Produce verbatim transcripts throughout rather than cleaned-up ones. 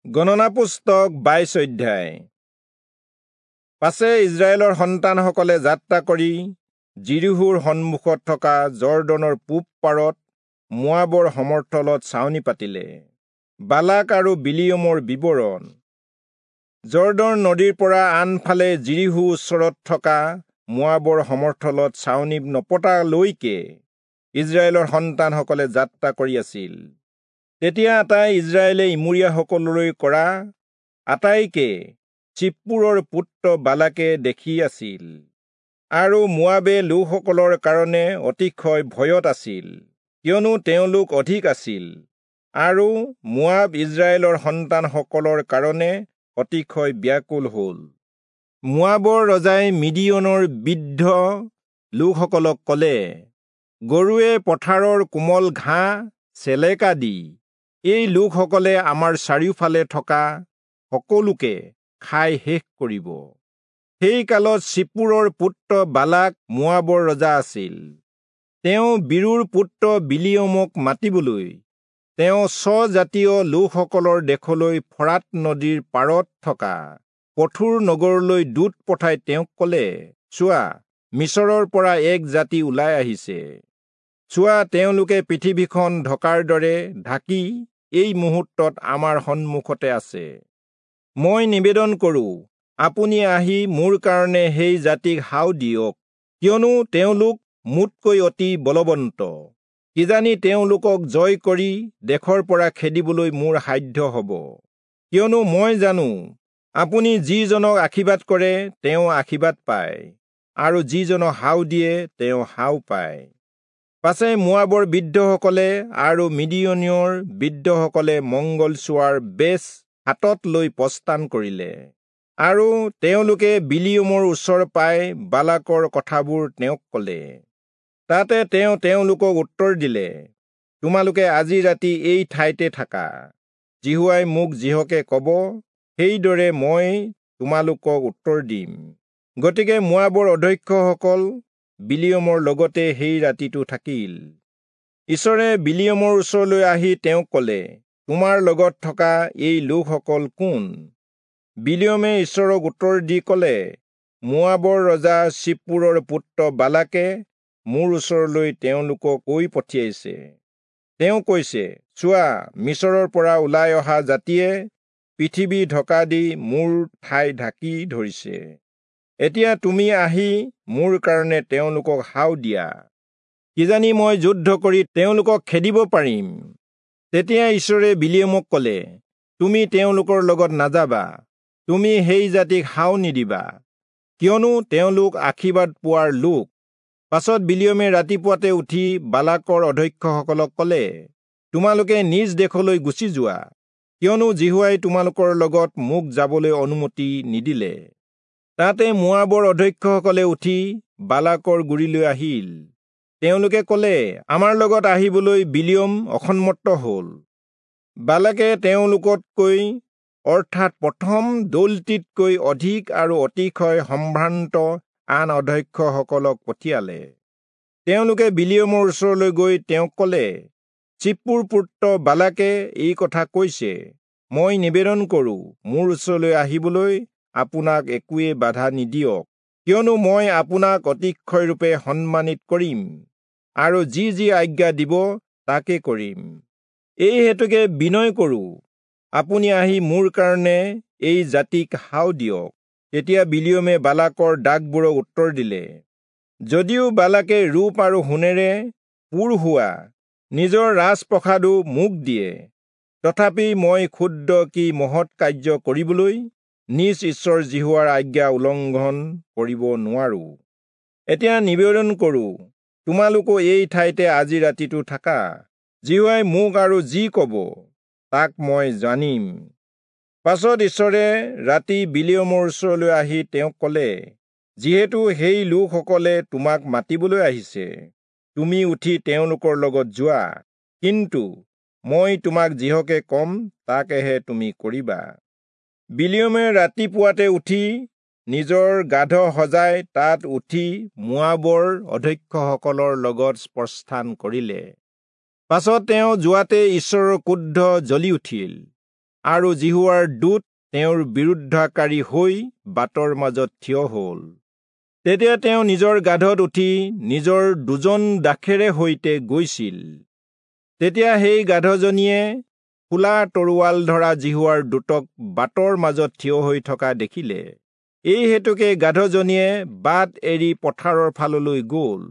গণনা পুস্তক বাইশ অধ্যায়। পাছে ইস্ৰায়েলৰ সন্তানসকলে যাত্ৰা কৰি যিৰীহোৰ সন্মুখত থকা যৰ্দনৰ পূব পাৰত মোৱাবৰ সমৰ্থলত ছাউনি পাতিলে। বালাক আৰু বিলিয়মৰ বিৱৰণ। যৰ্দন নদীৰ পৰা আনফালে যিৰীহো ওচৰত থকা মোৱাবৰ সমৰ্থলত ছাউনি নপতালৈকে ইস্ৰায়েলৰ সন্তানসকলে যাত্ৰা কৰি আছিল। তেতিয়া আটাই ইস্ৰায়েলে ইমূৰীয়াসকললৈ কৰা আটাইকে চিপ্পোৰৰ পুত্ৰ বালাকে দেখি আছিল, আৰু মোৱাবে লোকসকলৰ কাৰণে অতিশয় ভয়ত আছিল, কিয়নো তেওঁলোক অধিক আছিল, আৰু মোৱাব ইস্ৰায়েলৰ সন্তানসকলৰ কাৰণে অতিশয় ব্যাকুল হ'ল। মোৱাবৰ ৰজাই মিদিয়নৰ বৃদ্ধ লোকসকলক ক'লে, গৰুৱে পথাৰৰ কোমল ঘাঁহ চেলেকা দি এই লোকসকলে আমাৰ চাৰিওফালে থকা সকলোকে খাই শেষ কৰিব। সেই কালত চিপ্পোৰৰ পুত্ৰ বালাক মোৱাবৰ ৰজা আছিল। তেওঁ বীৰুৰ পুত্ৰ বিলিয়মক মাতিবলৈ তেওঁ স্বজাতীয় লোকসকলৰ দেশলৈ ফৰাত নদীৰ পাৰত থকা পথুৰ নগৰলৈ দূত পঠাই তেওঁক ক'লে, চোৱা, মিচৰৰ পৰা এক জাতি ওলাই আহিছে। চোৱা, তেওঁলোকে পৃথিৱীখন ঢকাৰ দৰে ঢাকি এই মুহূৰ্তত আমাৰ সন্মুখতে আছে। মই নিবেদন কৰোঁ, আপুনি আহি মোৰ কাৰণে সেই জাতিক হাও দিয়ক, কিয়নো তেওঁলোক মোতকৈ অতি বলৱন্ত। কিজানি তেওঁলোকক জয় কৰি দেশৰ পৰা খেদিবলৈ মোৰ সাধ্য হ'ব। কিয়নো মই জানো, আপুনি যিজনক আশীৰ্বাদ কৰে তেওঁ আশীৰ্বাদ পায়, আৰু যিজনক হাও দিয়ে তেওঁ হাও পায়। পাছে মোৱাবৰ বৃদ্ধসকলে আৰু মিদিয়নীয়ৰ বৃদ্ধসকলে মংগল চোৱাৰ বেচ হাতত লৈ প্ৰস্থান কৰিলে, আৰু তেওঁলোকে বিলিয়মৰ ওচৰ পাই বালাকৰ কথাবোৰ তেওঁক ক'লে। তাতে তেওঁ তেওঁলোকক উত্তৰ দিলে, তোমালোকে আজি ৰাতি এই ঠাইতে থাকা। যিহোৱাই মোক যিহকে ক'ব সেইদৰে মই তোমালোকক উত্তৰ দিম। গতিকে মোৱাবৰ অধ্যক্ষসকল বিলিয়মৰ লগতে সেই ৰাতিটো থাকিল। ঈশ্বৰে বিলিয়মৰ ওচৰলৈ আহি তেওঁক ক'লে, তোমাৰ লগত থকা এই লোকসকল কোন? বিলিয়মে ঈশ্বৰক উত্তৰ দি ক'লে, মোৱাবৰ ৰজা চিপ্পোৰৰ পুত্ৰ বালাকে মোৰ ওচৰলৈ তেওঁলোকক কৈ পঠিয়াইছে। তেওঁ কৈছে, চোৱা, মিচৰৰ পৰা ওলাই অহা জাতিয়ে পৃথিৱী ঢকা দি মোৰ ঠাই ঢাকি ধৰিছে। এতিয়া তুমি আহি মোৰ কাৰণে তেওঁলোকক হাও দিয়া, কিজানি মই যুদ্ধ কৰি তেওঁলোকক খেদিব পাৰিম। তেতিয়া ঈশ্বৰে বিলিয়মক ক'লে, তুমি তেওঁলোকৰ লগত নাযাবা, তুমি সেই জাতিক হাও নিদিবা, কিয়নো তেওঁলোক আশীৰ্বাদ পোৱাৰ লোক। পাছত বিলিয়মে ৰাতিপুৱাতে উঠি বালাকৰ অধ্যক্ষসকলক ক'লে, তোমালোকে নিজ দেশলৈ গুচি যোৱা, কিয়নো যিহোৱাই তোমালোকৰ লগত মোক যাবলৈ অনুমতি নিদিলে। তাতে মোৱাবৰ অধ্যক্ষসকলে উঠি বালাকৰ গুৰিলৈ আহিল। তেওঁলোকে ক'লে, আমাৰ লগত আহিবলৈ বিলিয়ম অসন্মত হ'ল। বালাকে তেওঁলোকতকৈ, অৰ্থাৎ প্ৰথম দলটিতকৈ অধিক আৰু অতিশয় সম্ভ্ৰান্ত আন অধ্যক্ষসকলক পঠিয়ালে। তেওঁলোকে বিলিয়মৰ ওচৰলৈ গৈ তেওঁক ক'লে, চিপ্পোৰ পুত্ৰ বালাকে এই কথা কৈছে, মই নিবেদন কৰোঁ, মোৰ ওচৰলৈ আহিবলৈ আপোনাক একোৱে বাধা নিদিয়ক, কিয়নো মই আপোনাক অতিশয়ৰূপে সন্মানিত কৰিম, আৰু যি যি আজ্ঞা দিব তাকে কৰিম। এই হেতুকে বিনয় কৰোঁ, আপুনি আহি মোৰ কাৰণে এই জাতিক হাও দিয়ক। তেতিয়া বিলিয়মে বালাকৰ দাগবোৰক উত্তৰ দিলে, যদিও বালাকে ৰূপ আৰু সোণেৰে পূৰ হোৱা নিজৰ ৰাজপ্ৰসাদো মোক দিয়ে, তথাপি মই ক্ষুদ্ৰ কি মহৎ কাৰ্য কৰিবলৈ নিজ ঈশ্বৰ যিহোৱাৰ আজ্ঞা উলংঘন কৰিব নোৱাৰো। এতিয়া নিবেদন কৰোঁ, তোমালোকো এই ঠাইতে আজি ৰাতিটো থাকা। যিহোৱাই মোক আৰু যি ক'ব তাক মই জানিম। পাছত ঈশ্বৰে ৰাতি বিলিয়মৰ ওচৰলৈ আহি তেওঁক ক'লে, যিহেতু সেই লোকসকলে তোমাক মাতিবলৈ আহিছে, তুমি উঠি তেওঁলোকৰ লগত যোৱা, কিন্তু মই তোমাক যিহকে ক'ম তাকেহে তুমি কৰিবা। বিলিয়মে ৰাতিপুৱাতে উঠি নিজৰ গাধ সজাই তাত উঠি মোৱাবৰ অধ্যক্ষসকলৰ লগত প্ৰস্থান কৰিলে। পাছত তেওঁ যোৱাতে ঈশ্বৰৰ ক্ৰোধ জ্বলি উঠিল। আৰু যিহোৱাৰ দূত তেওঁৰ বিৰুদ্ধাকাৰী হৈ বাটৰ মাজত থিয় হ'ল। তেতিয়া তেওঁ নিজৰ গাধত উঠি নিজৰ দুজন দাসেৰে সৈতে গৈছিল। তেতিয়া সেই গাধজনীয়ে খোলা তৰোৱাল ধৰা যিহোৱাৰ দূতক বাটৰ মাজত থিয় হৈ থকা দেখিলে। এই হেতুকে গাধজনীয়ে বাট এৰি পথাৰৰ ফাললৈ গ'ল।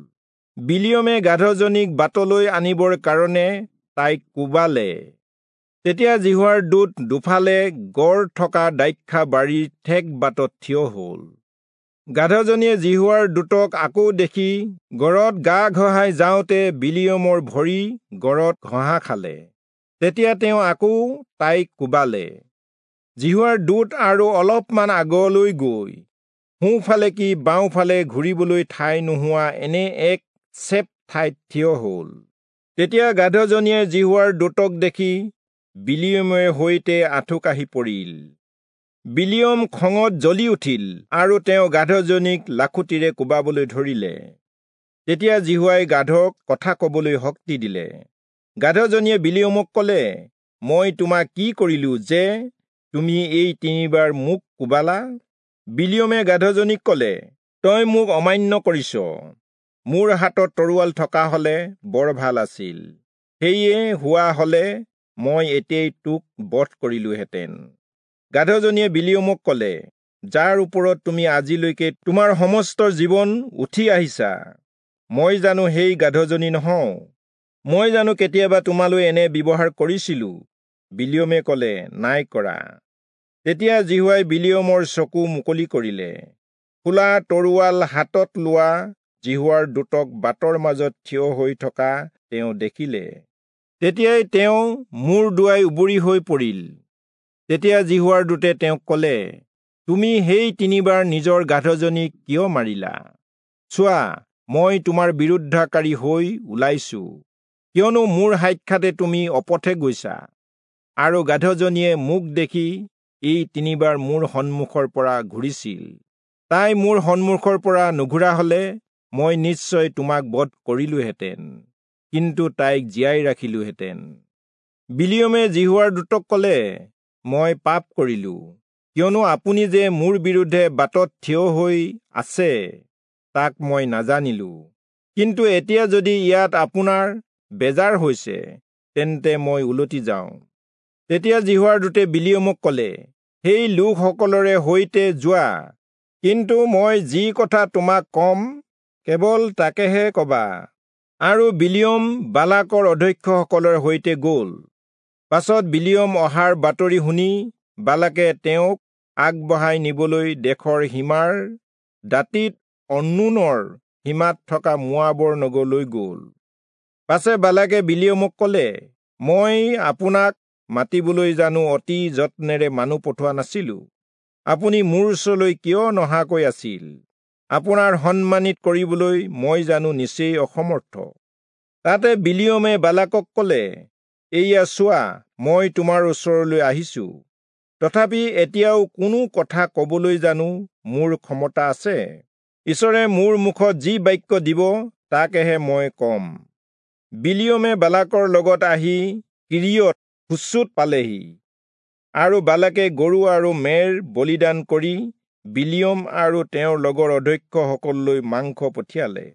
বিলিয়মে গাধজনীক বাটলৈ আনিবৰ কাৰণে তাইক কোবালে। তেতিয়া যিহোৱাৰ দূত দুফালে গড় থকা দ্ৰাক্ষা বাৰীৰ ঠেক বাটত থিয় হ'ল। গাধজনীয়ে যিহোৱাৰ দূতক আকৌ দেখি গড়ত গা ঘঁহাই যাওঁতে বিলিয়মৰ ভৰি গড়ত ঘঁহা খালে। তেতিয়া তেওঁ আকৌ তাইক কোবালে। যিহোৱাৰ দূত আৰু অলপমান আগলৈ গৈ সোঁফালে কি বাওঁফালে ঘূৰিবলৈ ঠাই নোহোৱা এনে এক চেপ ঠাইত থিয় হ'ল। তেতিয়া গাধজনীয়ে যিহোৱাৰ দূতক দেখি বিলিয়মে সৈতে আঁঠুকাঢ়ি পৰিল। বিলিয়ম খঙত জ্বলি উঠিল আৰু তেওঁ গাধজনীক লাখুটিৰে কোবাবলৈ ধৰিলে। তেতিয়া যিহোৱাই গাধক কথা কবলৈ শক্তি দিলে। গাধজনীয়ে বিলিয়মক কলে, মই তোমাক কি কৰিলো যে তুমি এই তিনিবাৰ মোক কোবালা? বিলিয়মে গাধজনীক কলে, তই মোক অমান্য কৰিছ। মোৰ হাতত তৰোৱাল থকা হলে বৰ ভাল আছিল, সেয়ে হোৱা হলে মই এতিয়াই তোক বধ কৰিলোহেঁতেন। গাধজনীয়ে বিলিয়মক কলে, যাৰ ওপৰত তুমি আজিলৈকে তোমাৰ সমস্ত জীৱন উঠি আহিছা, মই জানো সেই গাধজনী নহওঁ? মই জানো কেতিয়াবা তোমালৈ এনে ব্যৱহাৰ কৰিছিলো? বিলিয়মে কলে, নাই কৰা। তেতিয়া যিহোৱাই বিলিয়মৰ চকু মুকলি কৰিলে। খোলা তৰোৱাল হাতত লোৱা যিহোৱাৰ দূতক বাটৰ মাজত থিয় হৈ থকা তেওঁ দেখিলে। তেতিয়াই তেওঁ মূৰ দোৱাই উবুৰি হৈ পৰিল। তেতিয়া যিহোৱাৰ দূতে তেওঁক কলে, তুমি সেই তিনিবাৰ নিজৰ গাধজনীক কিয় মাৰিলা? চোৱা, মই তোমাৰ বিৰুদ্ধাকাৰী হৈ ওলাইছো, কিয়নো মোৰ সাক্ষাতে তুমি অপথে গৈছা, আৰু গাধজনীয়ে মোক দেখি এই তিনিবাৰ মোৰ সন্মুখৰ পৰা ঘূৰিছিল। তাই মোৰ সন্মুখৰ পৰা নুঘূৰা হলে মই নিশ্চয় তোমাক বধ কৰিলোহেঁতেন, কিন্তু তাইক জীয়াই ৰাখিলোহেঁতেন। বিলিয়মে যিহোৱাৰ দূতক কলে, মই পাপ কৰিলো, কিয়নো আপুনি যে মোৰ বিৰুদ্ধে বাটত থিয় হৈ আছে তাক মই নাজানিলো। কিন্তু এতিয়া যদি ইয়াত আপোনাৰ বেজাৰ হৈছে, তেন্তে মই উলটি যাওঁ। তেতিয়া যিহোৱাৰ দূতে বিলিয়মক কলে, সেই লোকসকলৰে সৈতে যোৱা, কিন্তু মই যি কথা তোমাক কম কেৱল তাকেহে কবা। আৰু বিলিয়ম বালাকৰ অধ্যক্ষসকলৰ সৈতে গ'ল। পাছত বিলিয়ম অহাৰ বাতৰি শুনি বালাকে তেওঁক আগবঢ়াই নিবলৈ দেশৰ সীমাৰ দাঁতিত অন্নোনৰ সীমাত থকা মোৱাবৰ নগৰলৈ গ'ল। পাছে বালাকে বিলিয়মক কলে, মই আপোনাক মাতিবলৈ জানো অতি যত্নেৰে মানুহ পঠোৱা নাছিলো? আপুনি মোৰ ওচৰলৈ কিয় নহাকৈ আছিল? আপোনাৰ সন্মানিত কৰিবলৈ মই জানো নিচেই অসমৰ্থ? তাতে বিলিয়মে বালাকক কলে, এইয়া চোৱা, মই তোমাৰ ওচৰলৈ আহিছো, তথাপি এতিয়াও কোনো কথা কবলৈ জানো মোৰ ক্ষমতা আছে? ঈশ্বৰে মোৰ মুখত যি বাক্য দিব তাকেহে মই কম। বিলিয়মে বালাকৰ লগত আহি কিৰিয়ত হুচোত পালেহি, আৰু বালাকে গৰু আৰু মেৰ বলিদান কৰি বিলিয়ম আৰু তেওঁৰ লগৰ অধ্যক্ষসকললৈ মাংস পঠিয়ালে।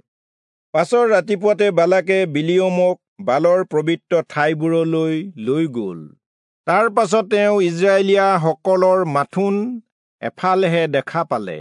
পাছৰ ৰাতিপুৱাতে বালাকে বিলিয়মক বালৰ পবিত্ৰ ঠাইবোৰলৈ লৈ গ'ল। তাৰ পাছত তেওঁ ইজৰাইলীয়াসকলৰ মাথোন এফালেহে দেখা পালে।